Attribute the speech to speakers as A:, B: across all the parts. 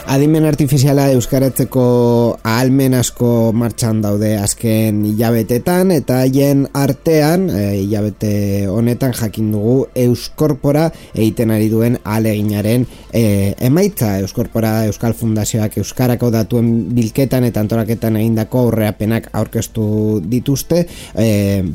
A: Adimen artifiziala euskaratzeko ahalmen asko martxan daude azken hilabetetan, eta haien artean, hilabete honetan jakin dugu Euskorpora egiten ari duen ahaleginaren emaitza. Euskorpora Euskal Fundazioak euskarako datuen bilketan eta antolaketan egindako aurrerapenak aurkeztu dituzte,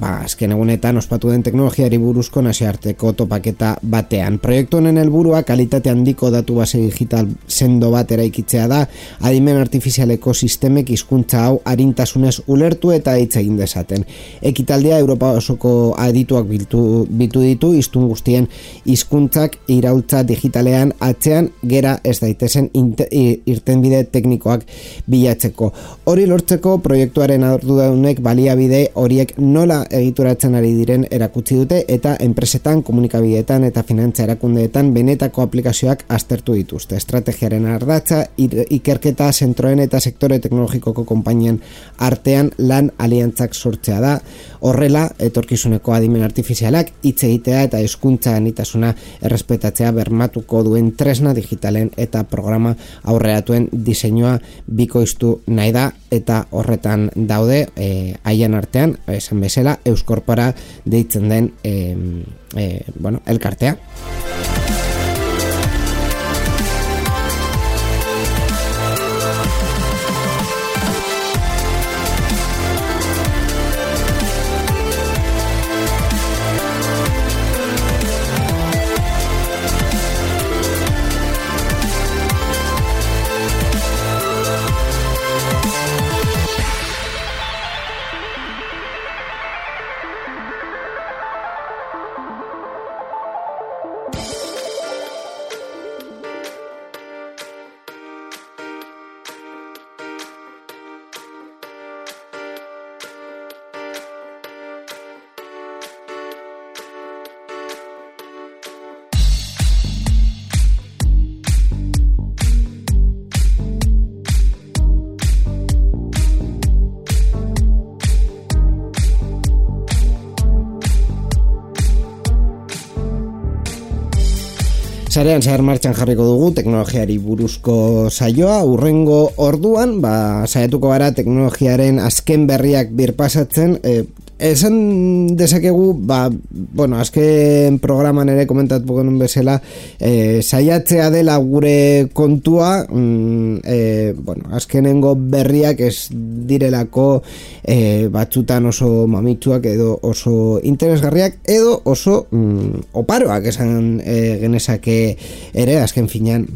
A: azken egunetan ospatu den teknologiari buruzko nazioarteko topaketa batean. Proiektu honen helburua kalitate handiko datu base digital sendo bat eraikitzea da, adimen artifizialeko sistemek hizkuntza hau arintasunez ulertu eta hitz egin dezaten. Ekitaldia Europa osoko adituak biltu ditu hiztun guztien hizkuntzak iraultza digitalean atzean gera ez daitezen irtenbide teknikoak bilatzeko. Hori lortzeko proiektuaren arduradunek baliabide horiek nola egituratzen ari diren erakutsi dute, eta enpresetan, komunikabideetan eta finantza erakundeetan benetako aplikazioak aztertu dituzte. Estrategiaren ardatza ikerketa zentroen eta sektore teknologikoko konpainien artean lan aliantzak sortzea da. Horrela, etorkizuneko adimen artifizialak hitz egitea eta hizkuntza anitasuna errespetatzea bermatuko duen tresna digitalen eta programa aurreratuen diseinua bikoiztu nahi da, eta horretan daude haien artean, esan bezala, Euskorpora deitzen den elkartea. Sarean zehar martxan jarriko dugu teknologiari buruzko saioa. Hurrengo orduan, saiatuko gara teknologiaren azken berriak birpasatzen. Esan dezakegu, azken programan ere komentatu genuen bezala, saiatzea dela gure kontua, azkenengo berriak ez direlako batzutan oso mamitsuak edo oso interesgarriak edo oso oparoak esan genezake ere. Azken finean,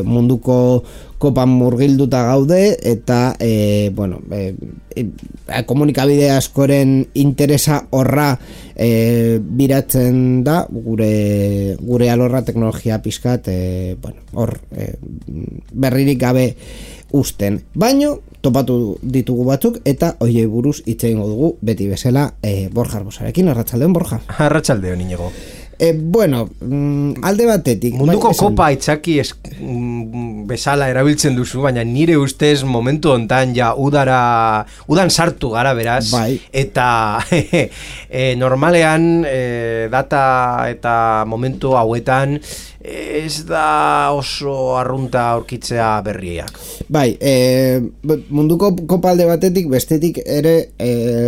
A: munduko kopan murgilduta gaude, eta komunikabide askoren interesa horra biratzen da gure alorra teknologia pizkat berririk gabe usten. Baino topatu ditugu batzuk, eta hoiei buruz hitz egingo dugu beti bezala Borja Arbosarekin. Arratsaldeon, Borja.
B: Arratsaldeon, Iñigo.
A: Alde batetik
B: munduko kopa itzaki bezala erabiltzen duzu, baina nire ustez momentu hontan ja udan sartu gara, beraz, eta normalean data eta momentu hauetan ez da oso arrunta aurkitzea berriak.
A: Munduko kopa alde batetik, bestetik ere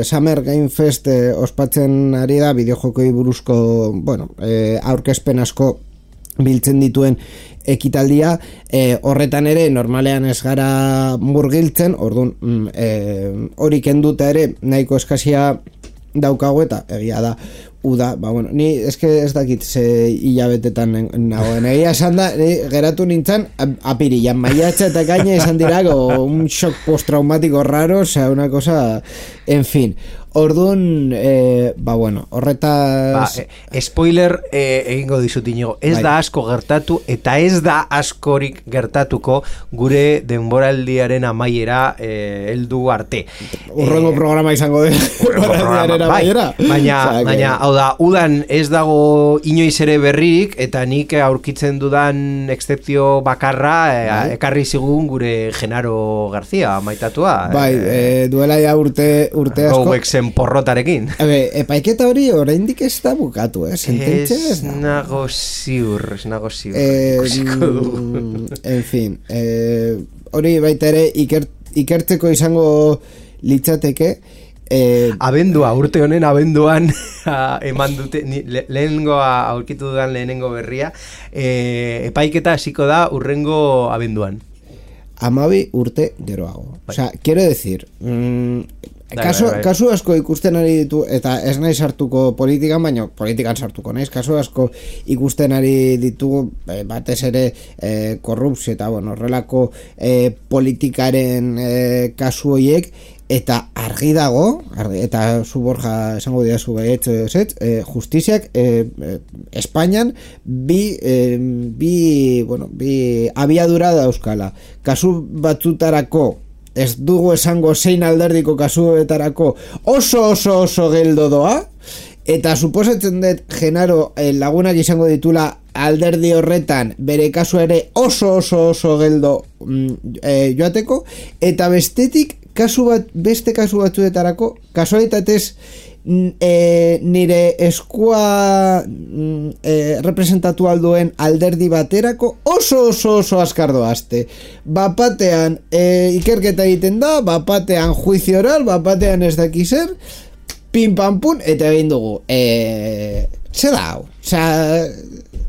A: Summer Game Fest ospatzen ari da bideojokoi buruzko aurkezpen asko biltzen dituen ekitaldia. Horretan ere normalean ez gara murgiltzen, orduan hori kenduta ere nahiko eskazia daukagu, eta egia da uda, bueno, ni eske ez dakit ze hilabetetan nagoen, egia esan da, geratu nintzen apirilan, maiatza eta kaina izan dira, un shock postraumático raro, osea, una cosa, en fin. Orduan, bueno, horretaz...
B: spoiler egingo dizut inigo, ez da asko gertatu eta ez da askorik gertatuko gure denboraldiaren amaiera heldu arte.
A: Urrengo programa izango de denboraldiaren amaiera.
B: Baina, hau da, udan ez dago inoiz ere berririk eta nik aurkitzen dudan excepzio bakarra ekarri zigun gure Genaro García maitatua.
A: Duela ja urte asko.
B: Porrotarekin.
A: Epaiketa hori oraindik ez da bukatu, sententzia ez da.
B: Ez nago ziur.
A: En fin, hori baita ere ikertzeko izango litzateke.
B: Urte honen abenduan eman dute, lehenengoa aurkitu dudan lehenengo berria, epaiketa hasiko da urrengo abenduan.
A: 12 urte geroago. O sea, quiero decir... Kasu asko ikusten ari ditu, eta ez nahi sartuko politikan, baina politikan sartuko naiz, kasu asko ikusten ari ditu batez ere korrupzio eta horrelako politikaren kasu horiek, eta argi dago, eta zu Borja esango diazu justiziak Espainian bi abiadura dauzkala. Kasu batzutarako ez dugu esango zein alderdiko kasuetarako oso geldo doa, eta suposatzen dut Genaro lagunak izango ditula alderdi horretan bere kasu ere oso geldo joateko, eta bestetik beste kasu batzuetarako kasualitatez nire eskua representatu alduen alderdi baterako oso askar doazte. Bapatean ikerketa egiten da, bapatean juicio oral, bapatean ez dakizer, pim pam pum, eta egin dugu. Se da hau. Osea,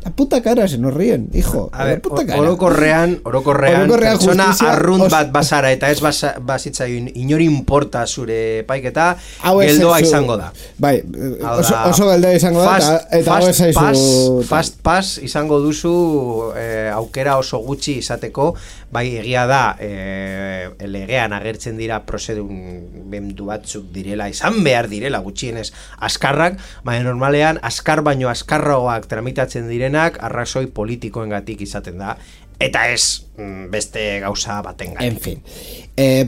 A: la puta cara se nos ríen, hijo.
B: A ver, orokorrean pertsona arrunt bat bazara eta ez bazitzaioin inori importa zure paiketa, geldoa izango da.
A: Bai, oso geldoa izango da, eta hau esaizu...
B: Fast pass izango duzu aukera oso gutxi izateko, bai egia da, legean agertzen dira prozedumendu batzuk direla, izan behar direla gutxienez askarrak, baina normalean askar baino askarragoak tramitatzen direnak arrazoi politikoengatik izaten da, eta ez beste gauza batengatik.
A: En fin.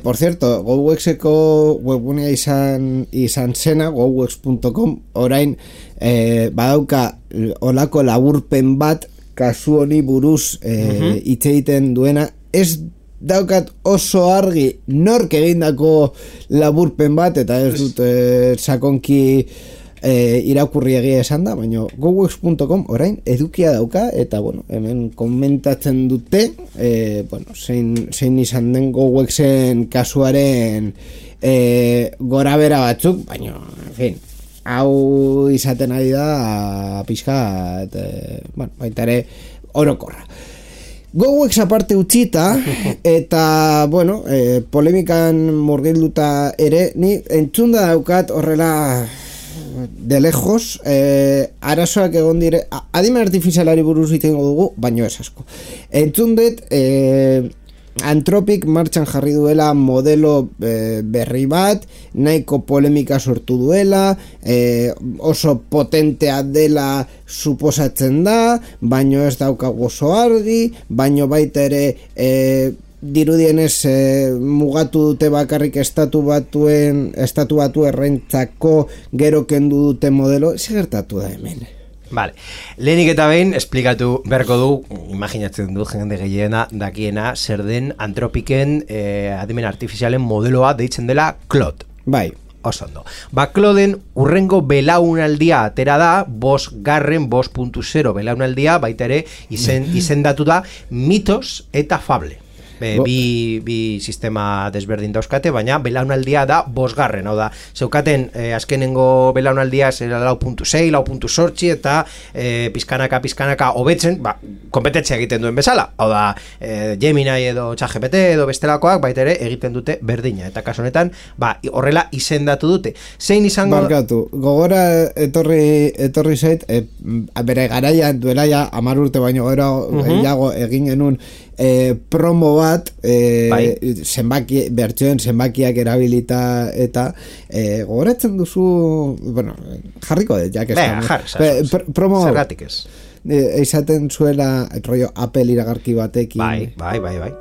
A: Por cierto, GoWexeko webgunea izan zena, gowex.com, orain badauka olako laburpen bat kasu honi buruz hitz egiten duena, ez daukat oso argi nork egindako laburpen bat, eta ez dut sakonki irakurri egia esan da, baina gowex.com orain edukia dauka, eta hemen komentatzen dute zein izan den GoWexen kasuaren gorabera batzuk, baina en fin, hau izaten ari da pixka baita ere orokorra. GoWex aparte utzita, eta polemikan murgilduta ere, ni entzunda daukat horrela de lejos, arazoak egon dire, adimen artifizialari buruz itengo dugu, baino ez asko. Entzun dut, Anthropic martxan jarri duela modelo berri bat, nahiko polemika sortu duela, oso potentea dela suposatzen da, baino ez daukagu oso argi, baino baita ere dirudienez mugatu dute bakarrik estatu batu errentzako gero kendu dute modelo, gertatu da hemen.
B: Vale. Lehenik eta behin esplikatu beharko du, imaginatzen du jende gehiena dakiena, zer den Anthropicen adimen artifizialen modeloa deitzen dela Claude.
A: Bai.
B: Oso ondo. Clauden urrengo belaunaldia atera da, 5.0 belaunaldia, baita ere izendatu da mitos eta fable. bi sistema desberdin dauzkate, baina belaunaldia da 5. Hau da, zeukaten azkenengo belaunaldia 4.6, 4.8 eta pizkanaka hobetzen, kompetentzia egiten duen bezala. Hau da, Gemini edo ChatGPT edo bestelakoak baita ere egiten dute berdina. Eta kasu honetan, horrela izendatu dute. Zein izango...
A: Barkatu, gogora etorri zait, bere garaian duela ja 10 urte baino gehiago egin genuen promo bat zenbakiak erabilita eta gogoratzen duzu, bueno, jarriko dut, jak promo
B: zergatik ez
A: izaten zuela rollo Apple iragarki batekin
B: bai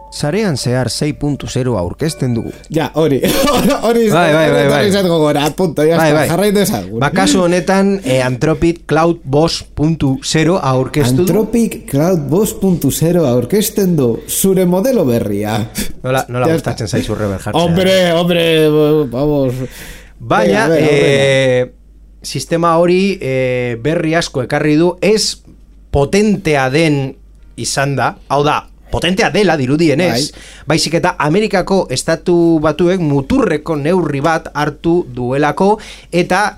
B: Sarean zehar 6.0 aurkezten dugu.
A: Ja, hori izatko gora, punto, jarraitu ezagun.
B: Kasu honetan, Anthropic Cloud 2.0 aurkeztu du.
A: Anthropic Cloud 2.0 aurkezten du, zure modelo berria.
B: Nola gustatzen zaizu rever jartzea.
A: Hombre, vamos.
B: Baina, sistema hori berri asko ekarri du, ez potentea den izan da, hau da, potentea dela dirudienez, baizik eta Amerikako estatu batuek muturreko neurri bat hartu duelako eta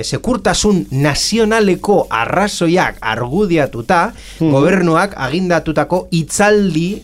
B: sekurtasun nazionaleko arrazoiak argudiatuta gobernuak agindatutako itzalaldi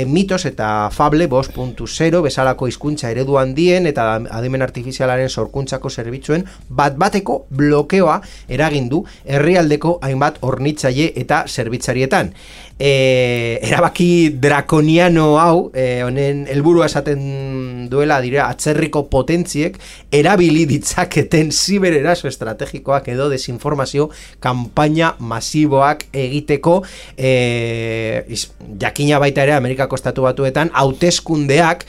B: mitos eta fable 2.0 bezalako hizkuntza eredu handien eta adimen artifizialaren sorkuntzako zerbitzuen bateko blokeoa eragindu herrialdeko hainbat hornitzaile eta zerbitzarietan. Erabaki drakoniano hau honen helburua esaten duela dira atzerriko potentziek erabili ditzaketen zibereraso estrategikoak edo desinformazio kanpaina masiboak egiteko jakina baita ere Amerikako estatu batuetan hauteskundeak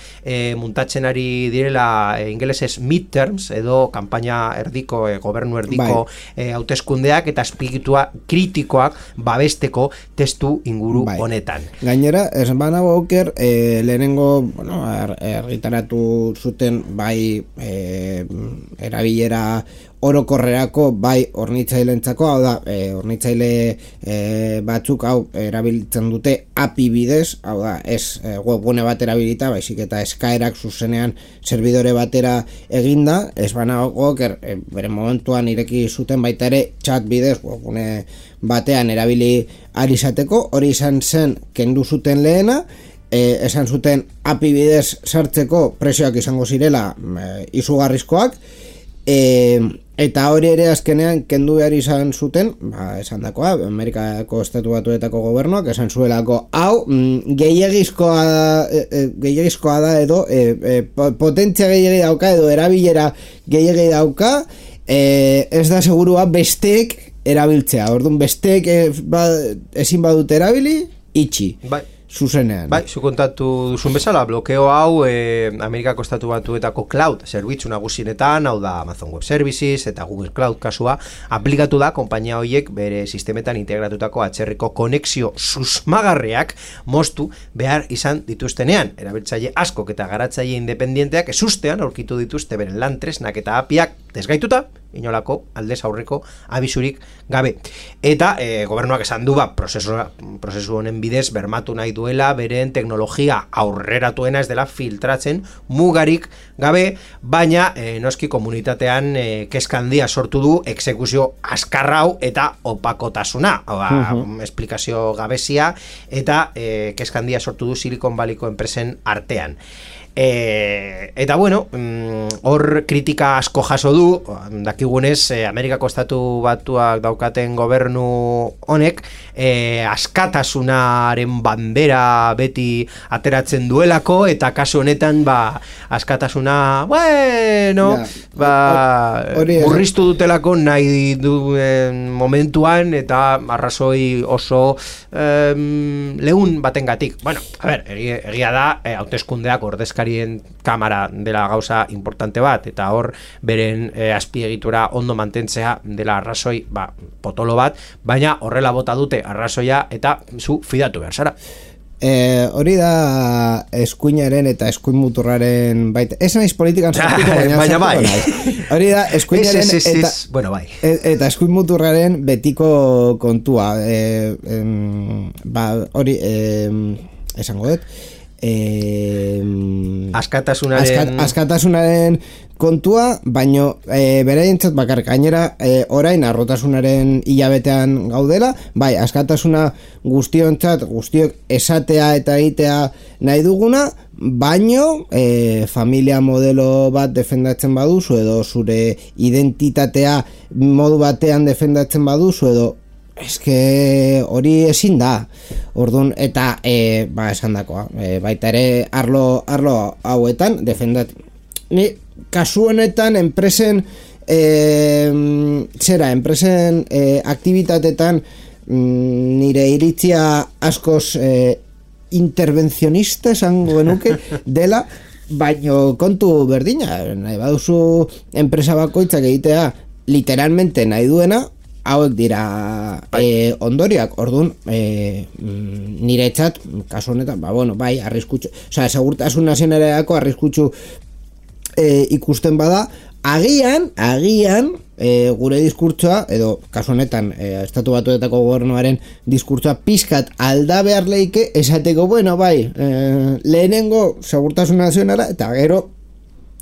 B: muntatzen ari direla ingelesez midterms edo kanpaina erdiko gobernu erdiko hauteskundeak eta espiritua kritikoak babesteko testu inguru honetan.
A: Gainera, ez banago oker, lehenengo, argitaratu zuten erabilera orokorrerako hornitzailentzako, hau da, hornitzaile batzuk erabiltzen dute API bidez, hau da, ez webgune bat erabilita, baizik eta eskaerak zuzenean servidore batera eginda, ez banago oker, bere momentuan ireki zuten baita ere chat bidez, webgune batean erabili ari izateko, hori izan zen kendu zuten lehena, esan zuten API bidez sartzeko prezioak izango zirela izugarrizkoak, eta hori ere azkenean kendu behar izan zuten, esan dakoa, Amerikako estatu batuetako gobernuak, esan zuelako, hau, gehiagizkoa da edo, potentzia gehiagi dauka edo erabilera gehiagi dauka, ez da segurua besteek erabiltzea, orduan besteek ezin badute erabili, itxi. Zuzenean.
B: Zu kontatu duzun bezala, blokeo hau Amerikako estatu batuetako cloud zerbitzu nagusienetan, hau da Amazon Web Services eta Google Cloud kasua, aplikatu da konpainia horiek bere sistemetan integratutako atzerriko konexio susmagarriak moztu behar izan dituztenean. Erabiltzaile askok eta garatzaile independienteak ezustean aurkitu dituzte beren lan tresnak eta apiak desgaituta, inolako aldez aurreko abisurik gabe. Eta gobernuak esan du prozesu honen bidez bermatu nahi duela beren teknologia aurreratuena ez dela filtratzen mugarik gabe, baina noski komunitatean kezka handia sortu du exekuzio azkarrau eta opakotasuna, esplikazio gabezia eta kezka handia sortu du Silicon Valleyko enpresen artean. Eta bueno, hor kritika asko jaso du, dakigunez Amerikako estatu batuak daukaten gobernu honek askatasunaren bandera beti ateratzen duelako, eta kasu honetan askatasuna murriztu dutelako nahi duen momentuan eta arrazoi oso lehun batengatik. Bueno, a ver, egia da hauteskundeak ordezkari kamara dela gauza importante bat, eta hor beren azpiegitura ondo mantentzea dela arrazoi potolo bat, baina horrela bota dute arrazoia eta zu fidatu behar zara.
A: Hori da eskuinaren eta eskuin muturraren baita. Ez naiz politikan sartuko, baina
B: bai.
A: Hori da eskuinaren
B: bueno, bai.
A: Eta eskuin muturraren betiko kontua. Hori esango dut. Askatasunaren kontua, baino beraientzat bakar gainera orain arrotasunaren hilabetean gaudela, bai, askatasuna guztiok esatea eta egitea nahi duguna, baino familia modelo bat defendatzen baduzu edo zure identitatea modu batean defendatzen baduzu edo eske hori ezin da. Orduan, eta esan dakoa, baita ere arlo hauetan defendat. Ni kasu honetan enpresen enpresen aktibitatetan nire iritzia askoz intervencionista esango genuke dela, baino kontu berdina, nahi baduzu enpresa bakoitzak egitea literalmente nahi duena, hauek dira ondoriak. Orduan niretzat kasu honetan bai, arriskutsu, segurtasun nazionaleako arriskutsu ikusten bada, agian gure diskurtsoa edo kasu honetan Estatu Batuetako gobernuaren diskurtsoa pizkat alda behar leike esateko, bai, lehenengo segurtasun nazionala eta gero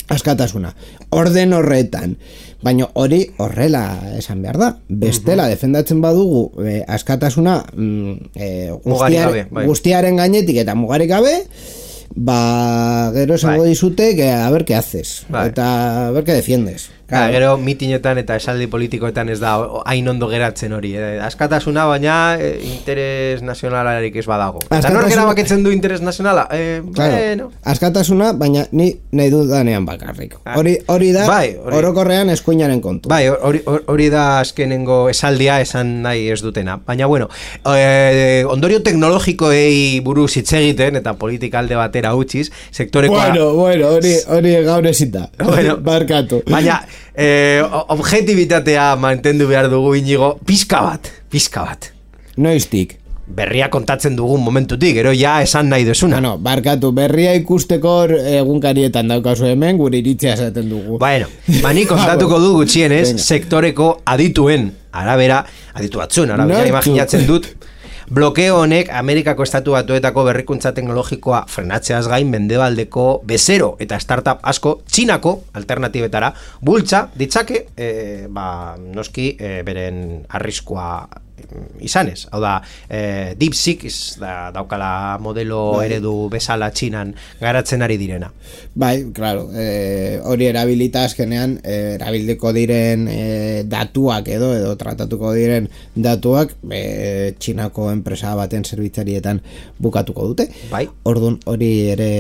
A: askatasuna, orden horretan. Baina hori horrela esan behar da. Bestela defendatzen badugu askatasuna guztiaren gainetik eta mugarik gabe, gero esango dizute a ver qué haces, eta a ver qué defiendes.
B: Gero mitinetan eta esaldi politikoetan ez da hain ondo geratzen hori. Askatasuna, baina interes nazionalarik ez badago. Eta nork erabakitzen du interes nazionala?
A: Bueno. Askatasuna, baina ni nahi dudanean bakarrik. Hori da, orokorrean eskuinaren kontu.
B: Bai, hori da azkenengo esaldia esan nahi ez dutena. Baina, bueno, ondorio teknologikoei buruz hitz egiten eta politika alde batera utziz, sektorekoa...
A: Bueno, hori gaur ezita. Barkatu.
B: Baina, objetibitatea mantendu behar dugu, Inigo, pizka bat.
A: Noiztik?
B: Berria kontatzen dugun momentutik, gero ja esan nahi duzuna.
A: Barkatu, berria ikusteko egunkarietan daukazu hemen, gure iritzia esaten dugu.
B: Bueno, ni kontatuko du gutxienez, sektoreko adituen arabera, aditu batzuen arabera, imaginatzen dut, blokeo honek Amerikako Estatu Batuetako berrikuntza teknologikoa frenatzeaz gain mendebaldeko bezero eta startup asko Txinako alternatibetara bultza ditzake, noski beren arriskua izanez. Hau da, DeepSeek daukala modelo eredu bezala Txinan garatzen ari direna.
A: Bai, claro, hori erabilita azkenean erabiliko diren datuak edo tratatuko diren datuak Txinako enpresa baten zerbitzarietan bukatuko dute.
B: Bai.
A: Orduan hori ere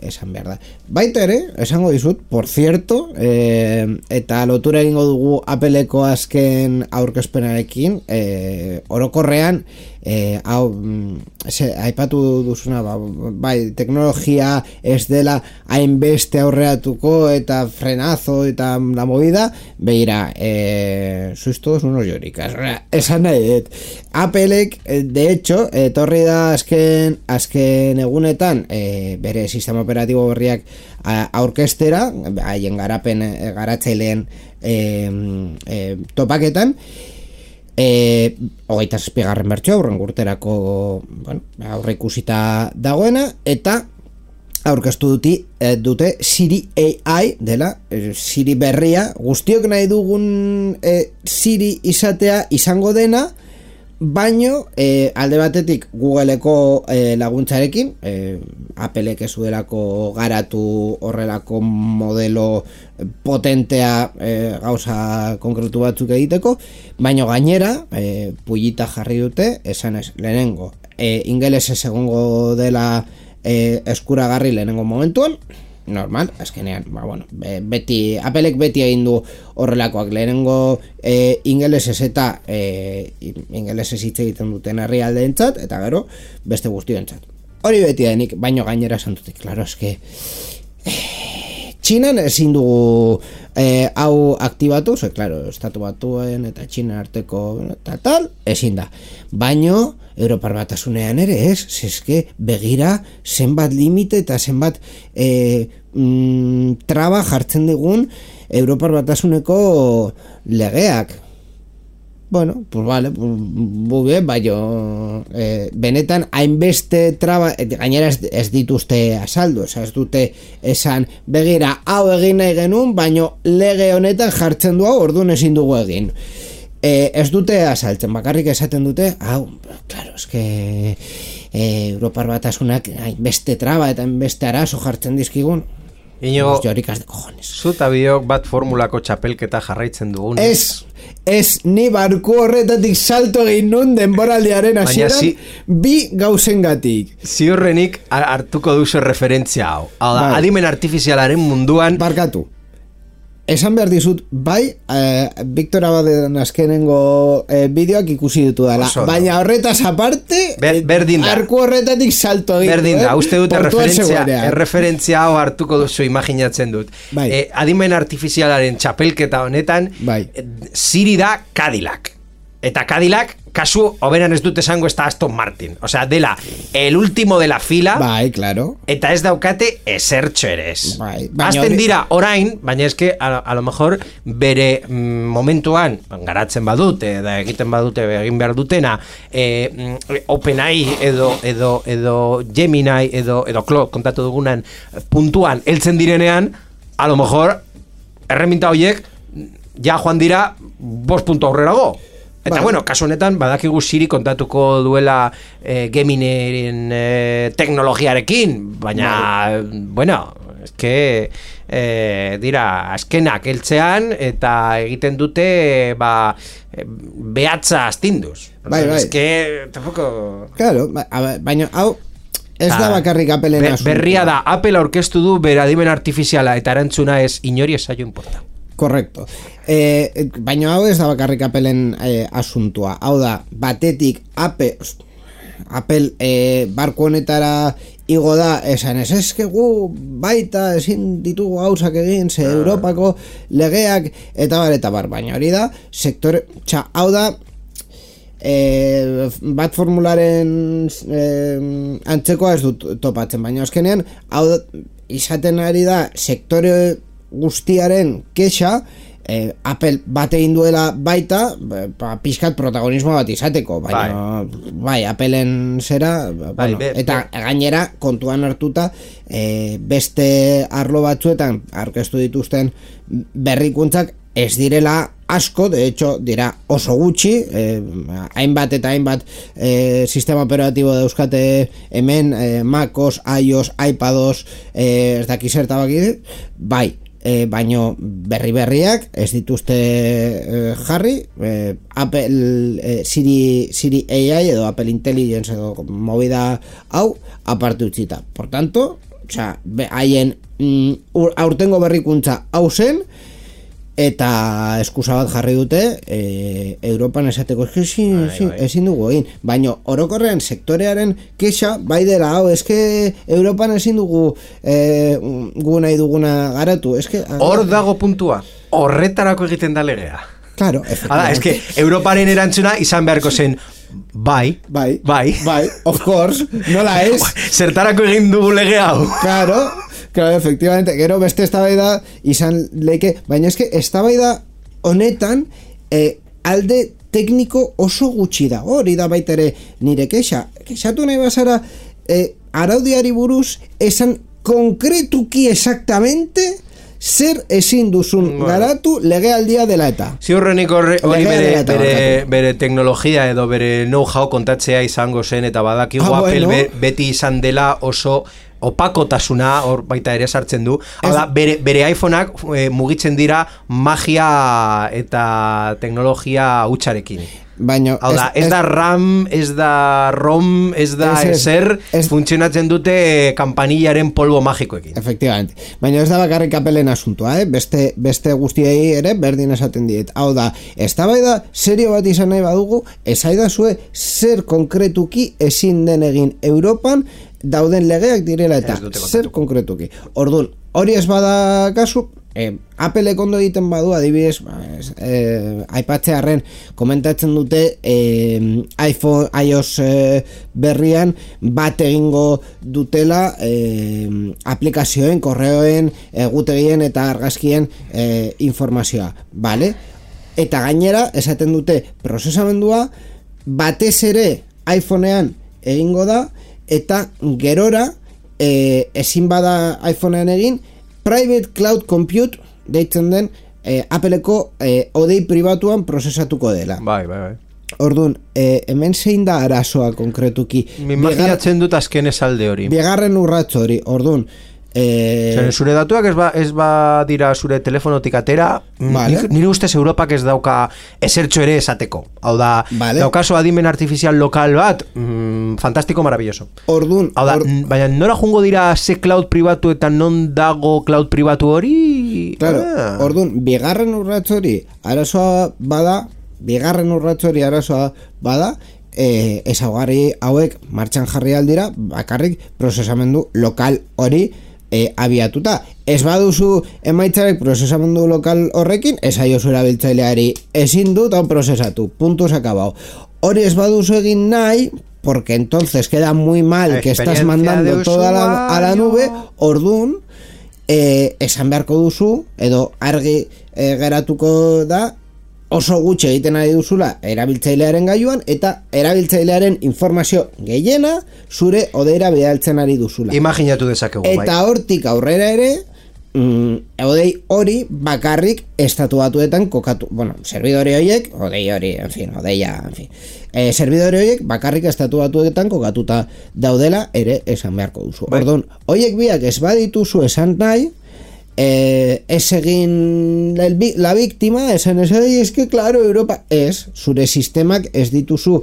A: esan behar da. Baita ere, esango dizut, por cierto, eta lotura egingo dugu Appleko azken aurkezpenarekin, orokorrean aipatu duzuna, bai, teknologia ez dela hainbeste aurreatuko eta frenazo eta la movida, beira, sois todos unos lloricas, esan nahi dut. Applek, de hecho, etorri da azken egunetan bere sistema operatibo berriak aurkestera, haien garatzaileen topaketan, 27. bertsoa aurrengo urterako aurre ikusita dagoena, eta aurkeztu dute Siri AI dela, Siri berria, guztiok nahi dugun Siri izatea izango dena, baino alde batetik Googleeko laguntzarekin, Applek ez duelako garatu horrelako modelo potentea gauza konkretu batzuk egiteko, baino gainera pullita jarri dute, esan ez, lehenengo ingelesez egongo dela eskuragarri lehenengo momentuan, normal, azkenean, Applek beti egin du horrelakoak, lehenengo ingelesez eta ingelesez hitz egiten duten herrialdeentzat, eta gero beste guztiontzat. Hori beti denik, baino gainera santutik, klaro, eske Txinan ezin dugu hau aktibatu, klaro, Estatu Batuen eta Txina arteko eta tal, ezin da. Baino Europar Batasunean ere ez, zeske begira zenbat limite eta zenbat traba jartzen digun Europar Batasuneko legeak. Bueno, pues vale, pues muy bien, baino benetan hainbeste traba, gainera ez dituzte azaldu, ez dute esan begira hau egin nahi genuen, baino lege honetan jartzen du hau, orduan ezin dugu egin. Ez dute azaltzen, bakarrik esaten dute, hau, claro, eske Europar Batasunak hainbeste traba eta hainbeste arazo jartzen dizkigun.
B: Iñigo, zuta biok bat formulako txapelketa jarraitzen dugun.
A: Ez, ni barku horretatik salto egin nun denboraldiaren hasieran bi gauzengatik.
B: Ziurrenik hartuko duzu referentzia hau. Hau da, adimen artifizialaren munduan...
A: Barkatu. Esan behar dizut, Victor Abaden azkenengo bideoak ikusi ditu dela, baina horretaz aparte, arku horretatik salto egin.
B: Berdin da, uste dute referentzia hau hartuko duzu imaginatzen dut. Adimen artifizialaren txapelketa honetan, ziri da Cadillac. Eta Cadillac, kasu, oberan ez dut esango ez da Aston Martin. Osea, dela, el último de la fila.
A: Claro.
B: Eta ez daukate esertxo ere ez. Azten dira orain, baina eske, a lo mejor, bere momentuan, garatzen badute, da egiten badute, egin behar dutena, OpenAI edo Gemini edo Claude, kontatu dugunan, puntuan, heltzen direnean, a lo mejor, erreminta horiek, ja joan dira, 5 puntu aurrerago. Eta bueno, kasu honetan, badakigu Siri kontatuko duela Geminiren teknologiarekin, baina, bueno, eske dira, azkenak heltzean eta egiten dute behatza astinduz. Eske, tampoco...
A: Claro, baina hau... Ez da bakarrik Appleen asuntua.
B: Berria da, Apple aurkeztu du bere adimen artifiziala eta erantzuna ez inori ez zaio importa.
A: Correcto. Baina hau ez da bakarrik Appleen asuntua. Hau da, batetik Apple barko honetara igo da, esan eske gu baita ezin ditugu gauzak egin, ze Europako legeak eta bar, baina hori da, sektore, hau da, bat formularen antzekoa ez dut topatzen, baina azkenean, hau da, izaten ari da, sektore guztiaren kexa, Apple bat egin duela baita, pixkat protagonismo bat izateko, baina Appleen zera, eta gainera kontuan hartuta beste arlo batzuetan aurkeztu dituzten berrikuntzak ez direla asko, de hecho dira oso gutxi, hainbat eta hainbat sistema operatibo dauzkate hemen, MacOS, iOS, iPadOS, ez dakiz zertabak baino berriak ez dituzte jarri, Apple Siri AI edo Apple Intelligence edo movida hau aparte utzita. Por tanto, haien aurtengo berrikuntza hau zen, eta eskusa bat jarri dute Europan esateko ezin dugu egin, baina orokorrean sektorearen kexa bai dela, hau, eske Europan ezin dugu gu nahi duguna garatu, eske
B: hor dago puntua, horretarako egiten da legea.
A: Claro,
B: efectivamente. Eske Europaren erantzuna izan beharko zen bai,
A: of course, nola ez?
B: Zertarako egin dugu lege hau.
A: Claro, efectivamente, gero beste eztabaida izan leike, baina eske eztabaida honetan alde tekniko oso gutxi da. Hori da baita ere nire kexatu nahi bazara araudiari buruz esan konkretuki exactamente zer ezin duzun garatu legealdia dela eta.
B: Ziurrenik hori bere teknologia edo bere know-how kontatzea izango zen, eta badakigu Apple beti izan dela oso opakotasuna hor baita ere sartzen du. Hala, bere iPhoneak mugitzen dira magia eta teknologia hutsarekin.
A: Baina
B: ez da RAM, ez da ROM, ez da ezer, funtzionatzen dute kampanillaren polbo magikoekin.
A: Efectivamente. Baina ez da bakarrik Appleen asuntua, beste guztiei ere berdin esaten diet. Hau da, eztabaida serio bat izan nahi badugu, esaidazue zer konkretuki ezin den egin Europan dauden legeak direla eta zer konkretuki. Orduan, hori ez bada kasu, Apple ondo egiten badu, adibidez, aipatzearren komentatzen dute iPhone, iOS berrian bat egingo dutela aplikazioen, korreoen, egutegien eta argazkien informazioa, bale? Eta gainera, esaten dute prozesamendua batez ere iPhonean egingo da, eta gerora ezin bada iPhonean egin, Private Cloud Compute deitzen den Appleko odei pribatuan prozesatuko dela.
B: Bai.
A: Orduan, hemen zein da arazoa konkretuki?
B: Imaginatzen dut azken esalde hori.
A: Bigarren urrats hori, orduan,
B: zure datuak ez dira zure telefonotik atera,
A: vale.
B: Nire ustez Europak ez dauka esertxo ere esateko. Hau da,
A: vale.
B: daukazu adimen artifizial lokal bat, fantastiko, maravilloso.
A: Orduan,
B: baina nora jungo dira ze cloud pribatu eta non dago cloud pribatu hori?
A: Claro, orduan, bigarren urrats hori arazoa bada, ezaugarri hauek martxan jarri aldira, bakarrik prozesamendu lokal hori abiatuta. Ez baduzu emaitzarek prozesamendu lokal horrekin, ez aiozu erabiltzaileari ezin dut hau prozesatu, puntos acabao. Hori ez baduzu egin nahi, porque entonces queda muy mal que estás mandando toda a la nube, orduan, esan beharko duzu, edo argi geratuko da, oso gutxi egiten ari duzula erabiltzailearen gailuan, eta erabiltzailearen informazio gehiena zure odeira bidaltzen ari duzula.
B: Imaginatu dezakegu, bai.
A: Eta hortik aurrera ere, odei hori bakarrik estatu batuetan kokatu, servidore horiek, servidore horiek bakarrik estatu batuetan kokatuta daudela ere esan beharko duzu.
B: Bai.
A: Orduan, horiek biak ez badituzu esan nahi, ez egin la víctima, esan es que claro, Europa ez, zure sistemak ez dituzu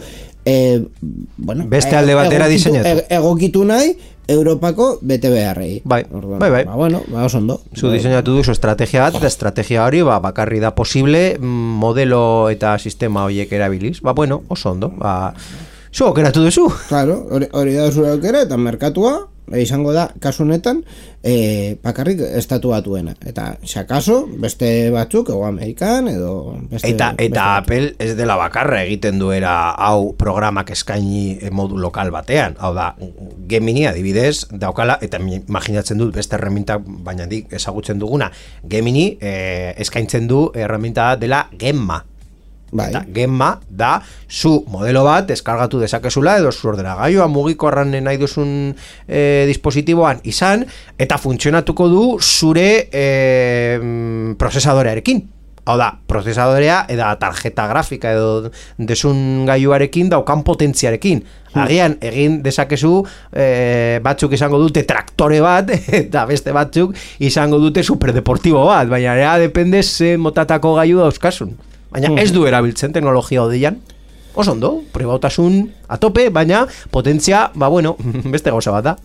B: beste alde batera diseinatu,
A: egokitu nahi Europako bete beharrei.
B: Bai.
A: Oso ondo.
B: Zu diseinatu duzu estrategia bat, eta estrategia hori bakarri da posible modelo eta sistema horiek erabiliz. Oso ondo. Zu aukeratu duzu.
A: Claro, hori da zure aukera, eta merkatua izango da, kasu honetan, bakarrik estatu batuena. Eta, xakaso, beste batzuk, ego Amerikan, edo...
B: Eta Apple ez dela bakarra egiten duera hau programak eskaini modu lokal batean. Hau da, Gemini adibidez, daukala, eta imaginatzen dut beste erremintak, baina ezagutzen duguna, Gemini eskaintzen du erreminta dela Gemma.
A: Bai.
B: Eta Gemma da zu modelo bat deskargatu dezakezula edo zu ordenagailuan mugikorran nahi duzun dispositiboan izan, eta funtzionatuko du zure prozesadorearekin. Hau da, prozesadorea eta tarjeta grafika edo desun gailuarekin daukan potentziarekin. Agian egin dezakezu batzuk izango dute traktore bat eta beste batzuk izango dute superdeportibo bat, baina ea depende ze motatako gailu dauzkasun. Baina ez du erabiltzen teknologia odeian. Oso ondo, pribautasun a tope, baina potentzia, beste gauza bat da.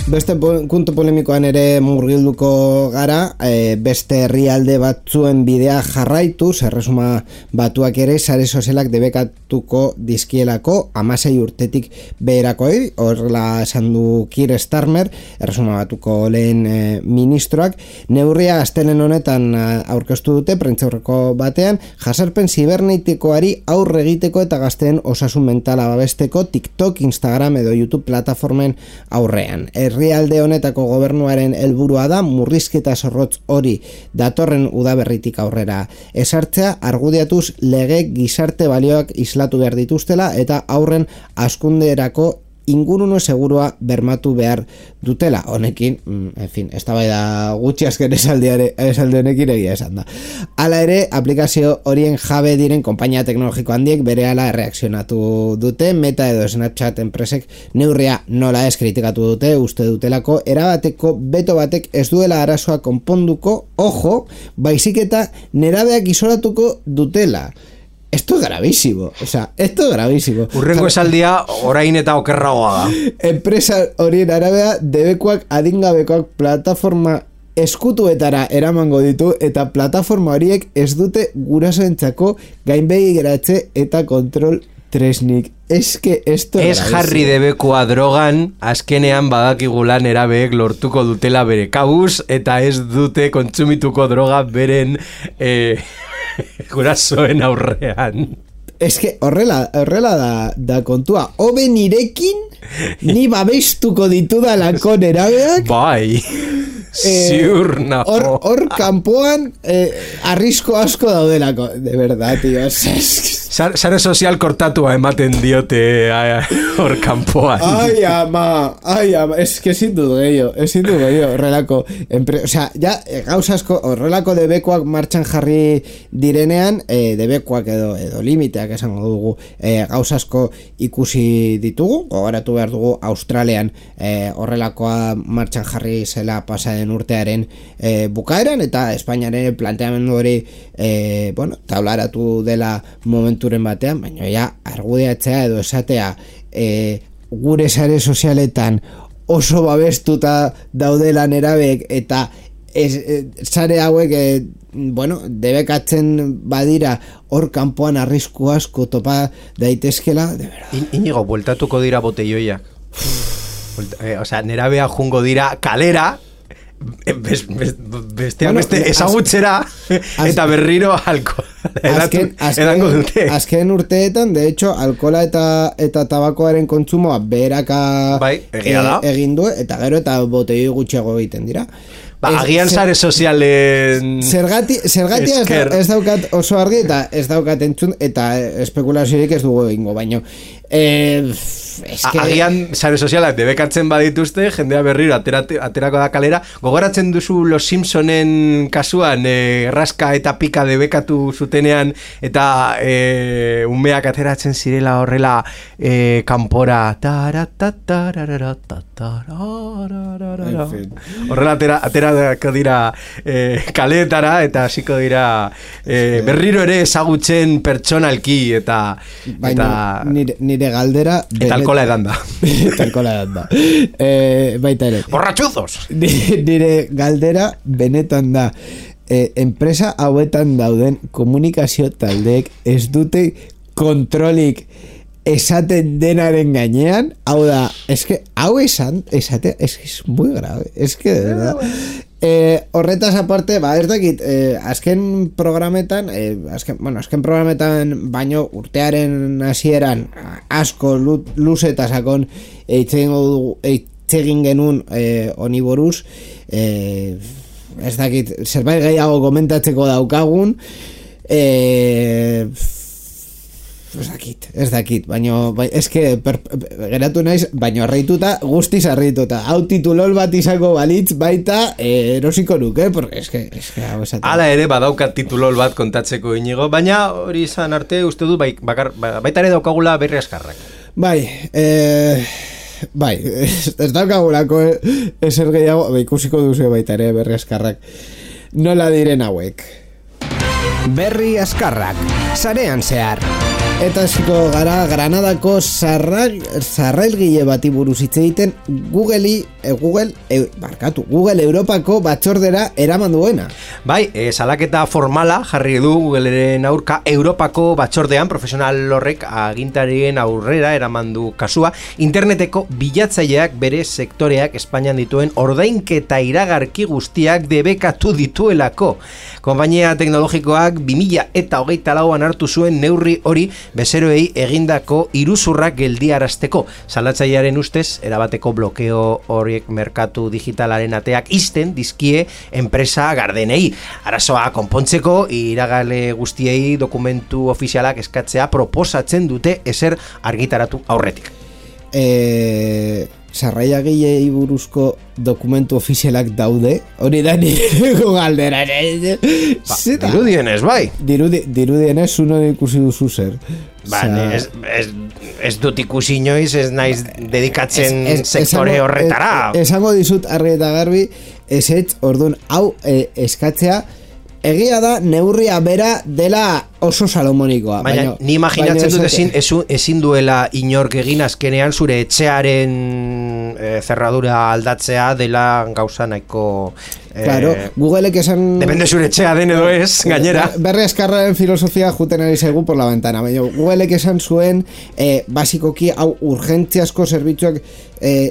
A: Beste puntu polemikoan ere murgilduko gara, beste herrialde batzuen bidea jarraituz, erresuma batuak ere sare sozialak debekatuko dizkielako 16 urtetik beherakoi, horrela esan du Keir Starmer, erresuma batuko lehen ministroak, neurria astelen honetan aurkeztu dute prentzaurreko batean, jasarpen zibernetikoari aurre egiteko eta gazteen osasun mentala babesteko TikTok, Instagram edo YouTube plataformen aurrean. Herrialde honetako gobernuaren helburua da murrizketa zorrotz hori datorren udaberritik aurrera esartzea, argudiatuz lege gizarte balioak islatu behar dituztela eta aurren hazkunderako ingurune segurua bermatu behar dutela. Honekin, eztabaida gutxi azken esaldi honekin egia esan da. Hala ere, aplikazio horien jabe diren konpainia teknologiko handiek berehala erreakzionatu dute, Meta edo Snapchat enpresek neurria nola ez kritikatu dute, uste dutelako erabateko beto batek ez duela arazoa konponduko, ojo, baizik eta nerabeak isolatuko dutela. Esto es gravísimo, Urrengo esaldia orain eta okerragoa da. Enpresa horien arabea debekuak adingabekoak plataforma eskutuetara eramango ditu eta plataforma horiek ez dute gurasoentzako gainbegi geratze eta kontrol tresnik. Eske esto
B: ez jarri debekua drogan, azkenean badakigulan erabeek lortuko dutela bere kabuz, eta ez dute kontsumituko droga beren gurasoen aurrean.
A: Eske horrela da kontua. Hobe nirekin ni babestuko ditudalako nerabeak.
B: Bai. Ziur nago.
A: Hor kanpoan arrisko asko daudelako. De verdad, tío.
B: Sare sozial kortatua ematen diote hor kanpoan.
A: Ai, ama. Es que ezin dut gehiago. Horrelako. Osea, ja, gauz asko, horrelako debekoak martxan jarri direnean, debekoak edo limiteak esango dugu, gauz asko ikusi ditugu. Gogoratu behar dugu Australian horrelakoa martxan jarri zela pasaden urtearen bukaeran, eta Espainiaren planteamendu hori taularatu dela momenturen batean, baina ja argudiatzea edo esatea gure sare sozialetan oso babestuta daudela nerabeek eta sare hauek debekatzen badira hor kanpoan arrisku asko topa daitezkela, de verdad.
B: Inigo, bueltatuko dira botelloiak. Osea, nerabea jungo dira kalera, beste ezagutzera eta berriro alkohola edango dute.
A: Azken urteetan, de hecho, alkohola eta tabakoaren kontsumoa beheraka egin du, eta gero eta botei gutxiago egiten dira.
B: Agian sare sozialen
A: zergatia ez daukat oso argi eta ez daukat entzun eta espekulaziorik ez dugu egingo, baino
B: agian sare sozialak debekatzen badituzte, jendea berriro aterako da kalera. Gogoratzen duzu Los Simpsonen kasuan raska eta pika debekatu zutenean eta umeak ateratzen zirela horrela kanpora horrela aterako dira kaleetara eta hasiko dira berriro ere ezagutzen pertsonalki eta
A: nire galdera
B: eta alkohola edan da.
A: Baita ere.
B: Borratxuzos!
A: Nire galdera benetan da. Enpresa hauetan dauden komunikazio taldeek ez dute kontrolik esaten denaren gainean, hau da, eske, hau esate, eske, es muy grave, eske, de verdad. Horretaz aparte, ez dakit, azken programetan, azken programetan baino urtearen hasieran asko luze eta sakon eitzegin genuen honi buruz, ez dakit, zerbait gehiago komentatzeko daukagun, ez dakit, baina eske geratu naiz, baina harrituta, guztiz harrituta. Hau titulol bat izango balitz baita erosiko nuke, porque eske hau esaten.
B: Hala ere badaukat titulol bat kontatzeko Inigo, baina hori izan arte uste du baita ere daukagula Berri Azkarrak.
A: Bai, ez daukagulako ezer gehiago, ikusiko duzu baita ere Berri Azkarrak. Nola diren hauek?
C: Berri Azkarrak, sarean zehar.
A: Eta hasiko gara Granadako sarrailgile bati buruz hitz egiten Google Europako batzordera eraman duena.
B: Bai, salaketa formala jarri du Googleren aurka Europako batzordean, profesional horrek agintarien aurrera eraman du kasua. Interneteko bilatzaileak bere sektoreak Espainian dituen ordainketa iragarki guztiak debekatu dituelako. Konpainia teknologikoak 2024an hartu zuen neurri hori bezeroei egindako iruzurrak geldiarazteko. Salatzailearen ustez, erabateko blokeo horiek merkatu digitalaren ateak ixten dizkie enpresa gardenei. Arazoa konpontzeko, iragale guztiei dokumentu ofizialak eskatzea proposatzen dute ezer argitaratu aurretik.
A: Sarraiagilei buruzko dokumentu ofizialak daude, hori da nireko galdera.
B: Dirudienez, bai.
A: Dirudienez, zuno ikusi duzu zer.
B: Ez dut ikusi inoiz, ez naiz dedikatzen sektore horretara.
A: Esango dizut argi eta garbi, orduan hau eskatzea egia da neurria bera dela oso salomonikoa.
B: Baina ni imaginatzen dut ezin duela inork egin azkenean zure etxearen zerradura aldatzea dela gauza nahiko...
A: Claro, Googleek esan...
B: Depende zure etxea den edo ez, gainera.
A: Berri Azkarraren filosofia juten ari zaigu por la ventana. Baina Googleek esan zuen, basikoki hau urgentziasko zerbitzuak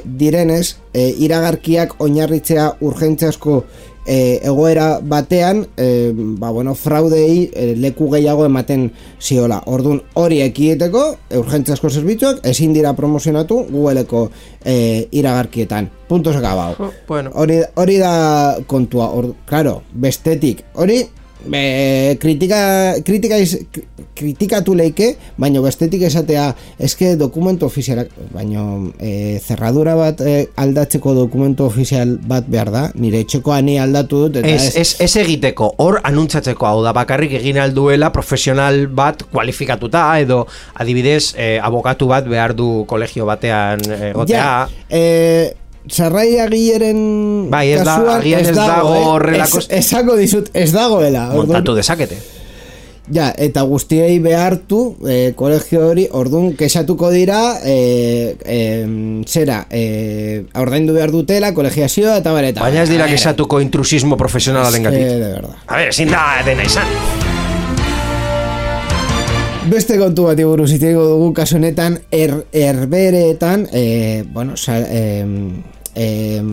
A: direnez, iragarkiak oinarritzea urgentziasko egoera batean, fraudei leku gehiago ematen ziola. Orduan hori ekideteko, urgentziasko zerbitzuak ezin dira promozionatu Googleeko iragarkietan. Puntos acabado.
B: Bueno.
A: Hori da kontua. Claro, bestetik. Hori kritikatu leike, baina bestetik esatea eske dokumentu ofizialak, baina zerradura bat aldatzeko dokumentu ofizial bat behar da, nire etxekoa ni aldatu dut eta
B: ez egiteko, hor anuntzatzeko, hau da bakarrik egin alduela profesional bat kualifikatuta edo adibidez abokatu bat behar du kolegio batean egotea.
A: Sarrai agileren
B: kasuan ez dago horrelako...
A: Esako dizut, ez dagoela.
B: Montatu dezakete.
A: Ja, eta guztiei behartu kolegio hori, orduan kexatuko dira ordaindu behar dutela, kolegiazioa eta bareta.
B: Baina ez dira kexatuko intrusismo profesionalaren gatik.
A: De verdad.
B: A ver, ezin da dena izan.
A: Beste kontu bat buruz hitz egingo dugu kasu honetan herbereetan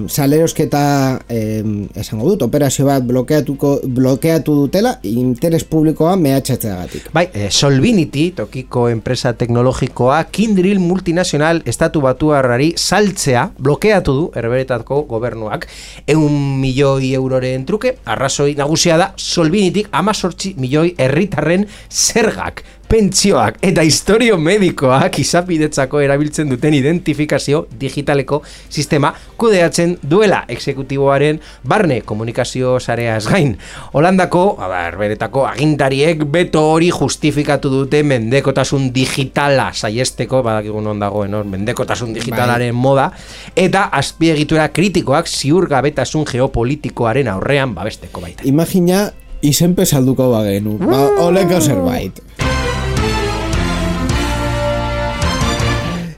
A: salerosketa esango dut, operazio bat blokeatu dutela interes publikoa mehatxatzeagatik.
B: Bai, Solvinity, tokiko enpresa teknologikoa, Kindrill multinazional estatu batuarrari saltzea blokeatu du herberetako gobernuak 100 milioi euroren truke. Arrazoi nagusia da Solvinityk 18 milioi herritarren zergak, pentsioak eta historio medikoak izapidetzako erabiltzen duten identifikazio digitaleko sistema kudeatzen duela exekutiboaren barne komunikazio sareaz gain. Holandako, herberetako agintariek beto hori justifikatu dute mendekotasun digitala saiesteko, badakigun on dagoen mendekotasun digitalaren moda, eta azpiegitura kritikoak ziurgabetasun geopolitikoaren aurrean babesteko baita.
A: Imagina izenpe salduko bagenu, oleko zerbait.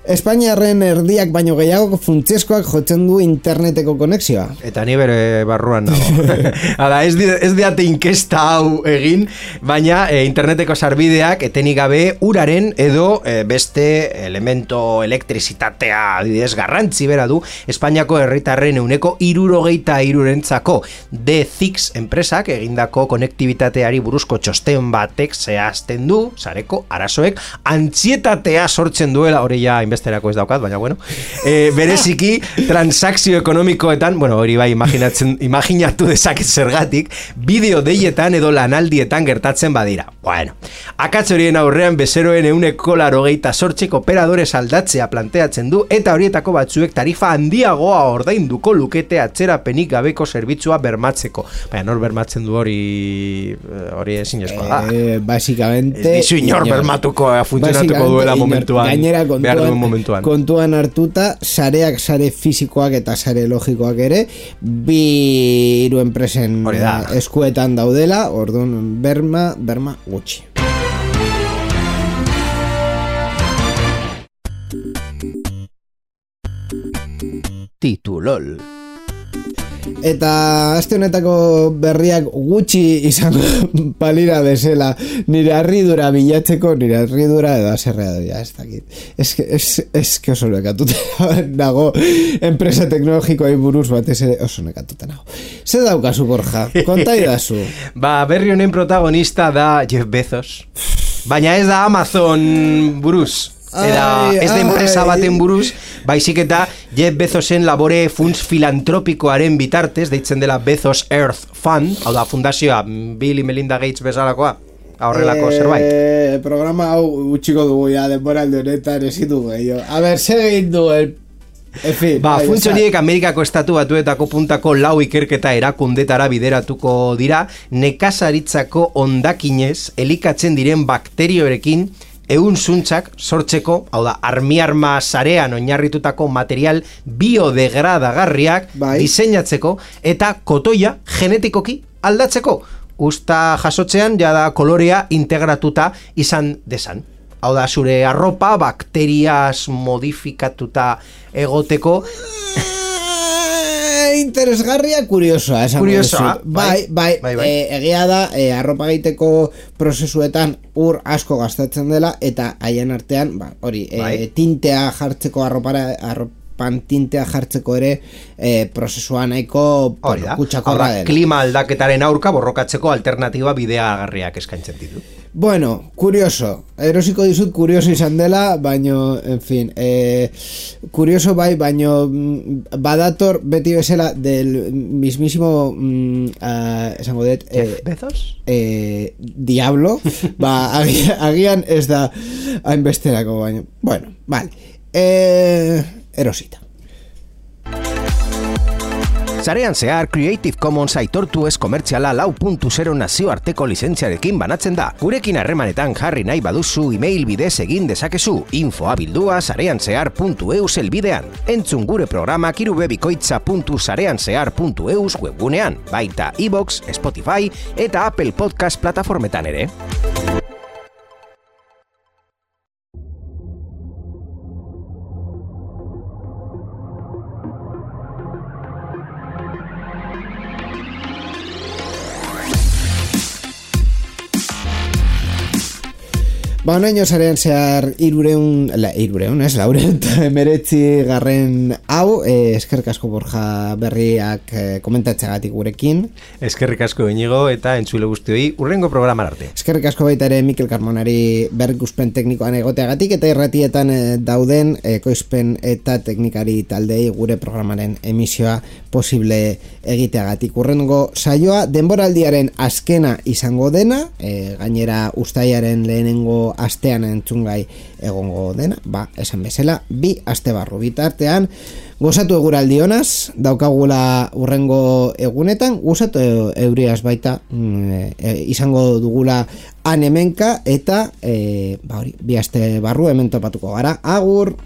A: Espainiarren erdiak baino gehiago funtsezkoak jotzen du interneteko konexioa.
B: Eta ni bere barruan nago. Hala, ez diate inkesta hau egin, baina interneteko sarbideak etenik gabe uraren edo beste elemento elektrizitatea adibidez garrantzi bera du Espainiako herritarren 73%rentzako. The-Six enpresak egindako konektibitateari buruzko txosten batek zehazten du sareko arazoek antzietatea sortzen duela, hori ja besterako ez daukat, baina bueno, bereziki transakzio ekonomikoetan, bueno, hori bai imaginatu dezaket zergatik, bideo deietan edo lanaldietan gertatzen badira. Bueno, akatz horien aurrean bezeroen 188 operadores aldatzea planteatzen du eta horietako batzuek tarifa handiagoa ordainduko lukete atzerapenik gabeko zerbitzua bermatzeko. Baina nor bermatzen du hori ezinezkoa da.
A: Básicamente
B: ez dizu inor bermatuko funtzionatuko duela momentuan.
A: Gainera kontuan hartuta sareak sare fisikoak eta sare logikoak ere hiru enpresen eskuetan daudela, orduan berma gutxi.
B: Titulol.
A: Eta aste honetako berriak gutxi izango palira bezala nire harridura bilatzeko, nire harridura edo aserrea doia, ez dakit. Ez que oso nekatuta nago enpresa teknologikoa buruz batez oso nekatuta nago. Ze daukazu, Borja? Kontai dazu.
B: Berri honen protagonista da Jeff Bezos. Baina ez da Amazon buruz. Ez da enpresa baten buruz, baizik eta Jeff Bezosen labore funts filantropikoaren bitartez, deitzen dela Bezos Earth Fund, hau da fundazioa Bill y Melinda Gates bezalakoa, horrelako zerbait.
A: Programa hau utxiko dugu ya, denboralde honetan ezin dugu gehiago. A ber, segin du
B: funts horiek Amerikako estatu batuetako puntako 4 ikerketa erakundetara bideratuko dira, nekazaritzako hondakinez elikatzen diren bakteriorekin zuntzak sortzeko, hau da, armi-arma sarean oinarritutako material biodegradagarriak diseinatzeko eta kotoia genetikoki aldatzeko. usta jasotzean jada kolorea integratuta izan desan. Hau da, zure arropa bakterias modifikatuta egoteko.
A: Interesgarria, kuriosoa.
B: Kuriosoa,
A: bai. Egia da, arropa egiteko prozesuetan ur asko gastatzen dela, eta haien artean, tintea jartzeko arropan tintea jartzeko ere prozesua nahiko kutsakorra dela.
B: Klima aldaketaren aurka borrokatzeko alternatiba bideagarriak eskaintzen ditu.
A: Bueno, kurioso. Erosiko dizut kurioso izan dela, baino, en fin, kurioso bai, baino badator beti bezala del mismísimo esango dut
B: ¿Bezos?
A: Diablo, agian ez da hainbesterako, baino. Bueno, vale. Erosita.
C: Sarean zehar Creative Commons aitortu ez komertziala 4.0 nazioarteko lizentziarekin banatzen da. Gurekin harremanetan jarri nahi baduzu email bidez egin dezakezu. Infoabildua sareanzehar.eus elbidean. Entzun gure programak irubebikoitza.sareanzehar.eus webgunean. Baita iVoox, Spotify eta Apple Podcast plataformetan ere.
A: Honeño sarean zehar 4meretzi garren hau, eskerrik asko Borja Berriak komentatzeagatik gurekin.
B: Eskerrik asko Iñigo eta entzule guztioi urrengo programar arte.
A: Eskerrik asko baita ere Mikel Carmonari berrikuspen teknikoan egoteagatik eta irratietan dauden ekoizpen eta teknikari taldei gure programaren emisioa posible egiteagatik. Urrengo saioa denboraldiaren azkena izango dena, gainera uztailaren lehenengo astean entzungai egongo dena, esan bezala, 2 aste barru bitartean, gozatu eguraldi honaz, daukagula urrengo egunetan, gozatu euriaz baita, izango dugula han hemenka, eta 2 aste barru hemen topatuko gara, agur!